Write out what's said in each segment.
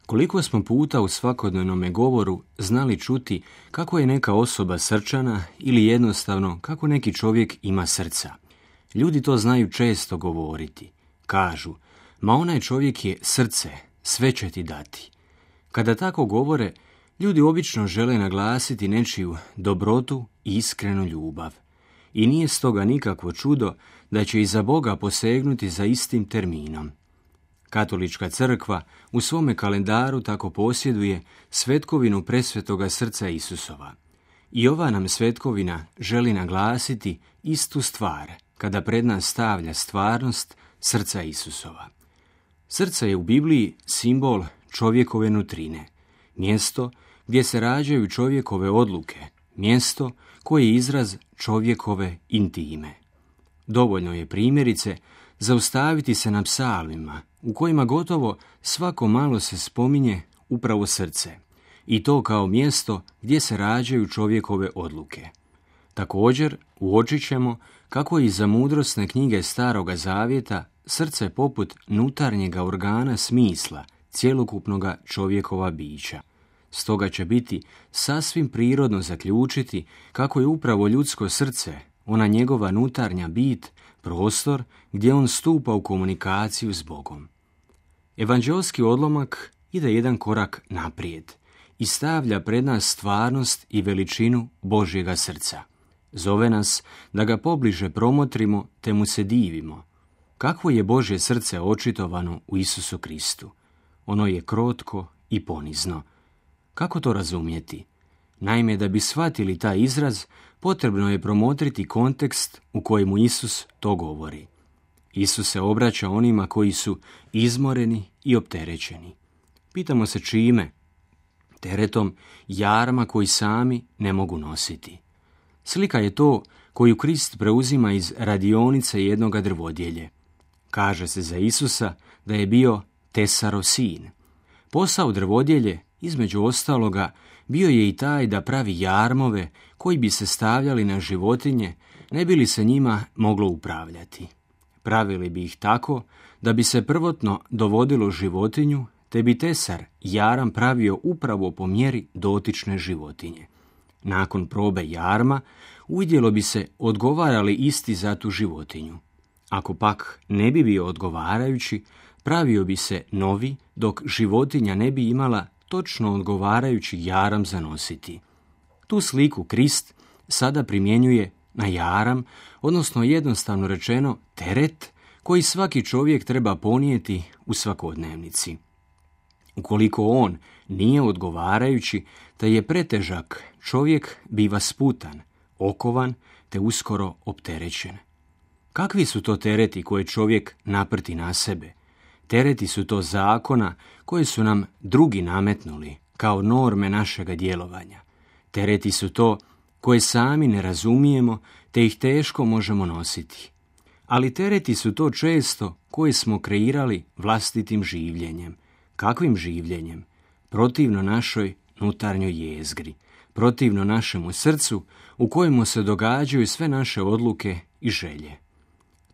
Koliko smo puta u svakodnevnom govoru znali čuti kako je neka osoba srčana ili jednostavno kako neki čovjek ima srca. Ljudi to znaju često govoriti. Kažu, ma onaj čovjek je srce, sve će ti dati. Kada tako govore, ljudi obično žele naglasiti nečiju dobrotu i iskrenu ljubav. I nije stoga nikakvo čudo da će iza Boga posegnuti za istim terminom. Katolička crkva u svome kalendaru tako posjeduje svetkovinu presvetoga srca Isusova. I ova nam svetkovina želi naglasiti istu stvar kada pred nas stavlja stvarnost srca Isusova. Srce je u Bibliji simbol čovjekove nutrine, mjesto gdje se rađaju čovjekove odluke, mjesto koje je izraz čovjekove intime. Dovoljno je primjerice zaustaviti se na psalmima u kojima gotovo svako malo se spominje upravo srce i to kao mjesto gdje se rađaju čovjekove odluke. Također uočit ćemo kako je iza mudrosne knjige Staroga Zavjeta srce poput nutarnjega organa smisla cjelokupnoga čovjekova bića. Stoga će biti sasvim prirodno zaključiti kako je upravo ljudsko srce, ona njegova nutarnja bit, prostor gdje on stupa u komunikaciju s Bogom. Evanđeoski odlomak ide jedan korak naprijed i stavlja pred nas stvarnost i veličinu Božjega srca. Zove nas da ga pobliže promotrimo te mu se divimo. Kakvo je Božje srce očitovano u Isusu Kristu? Ono je krotko i ponizno. Kako to razumjeti? Naime, da bi shvatili taj izraz, potrebno je promotriti kontekst u kojemu Isus to govori. Isus se obraća onima koji su izmoreni i opterećeni. Pitamo se čime? Teretom jarma koji sami ne mogu nositi. Slika je to koju Krist preuzima iz radionice jednoga drvodjelje. Kaže se za Isusa da je bio tesarov sin. Posao drvodjelje, između ostaloga, bio je i taj da pravi jarmove koji bi se stavljali na životinje, ne bi li se njima moglo upravljati. Pravili bi ih tako da bi se prvotno dovodilo životinju, te bi tesar jaram pravio upravo po mjeri dotične životinje. Nakon probe jarma uvidjelo bi se odgovara li isti za tu životinju. Ako pak ne bi bio odgovarajući, pravio bi se novi, dok životinja ne bi imala točno odgovarajući jaram za nositi. Tu sliku Krist sada primjenjuje na jaram, odnosno jednostavno rečeno teret koji svaki čovjek treba ponijeti u svakodnevnici. Ukoliko on nije odgovarajući, te je pretežak, čovjek biva sputan, okovan te uskoro opterećen. Kakvi su to tereti koje čovjek naprti na sebe? Tereti su to zakona koje su nam drugi nametnuli kao norme našega djelovanja. Tereti su to koje sami ne razumijemo te ih teško možemo nositi. Ali tereti su to često koje smo kreirali vlastitim življenjem. Kakvim življenjem? Protivno našoj nutarnjoj jezgri, protivno našemu srcu u kojemu se događaju sve naše odluke i želje.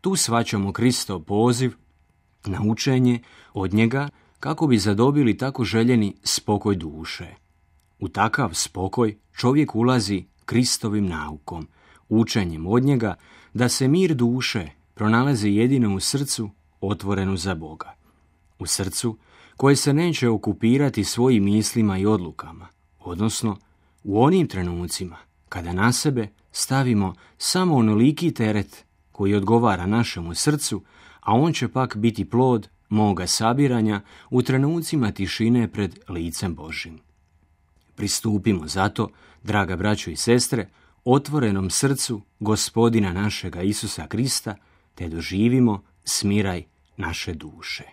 Tu shvaćamo Kristov poziv na učenje od njega kako bi zadobili tako željeni spokoj duše. U takav spokoj čovjek ulazi Kristovim naukom, učenjem od njega da se mir duše pronalazi jedino u srcu otvorenu za Boga. U srcu koje se neće okupirati svojim mislima i odlukama, odnosno u onim trenucima kada na sebe stavimo samo onoliki teret koji odgovara našemu srcu, a on će pak biti plod moga sabiranja u trenucima tišine pred licem Božjim. Pristupimo zato, draga braćo i sestre, otvorenom srcu Gospodina našega Isusa Krista, te doživimo smiraj naše duše.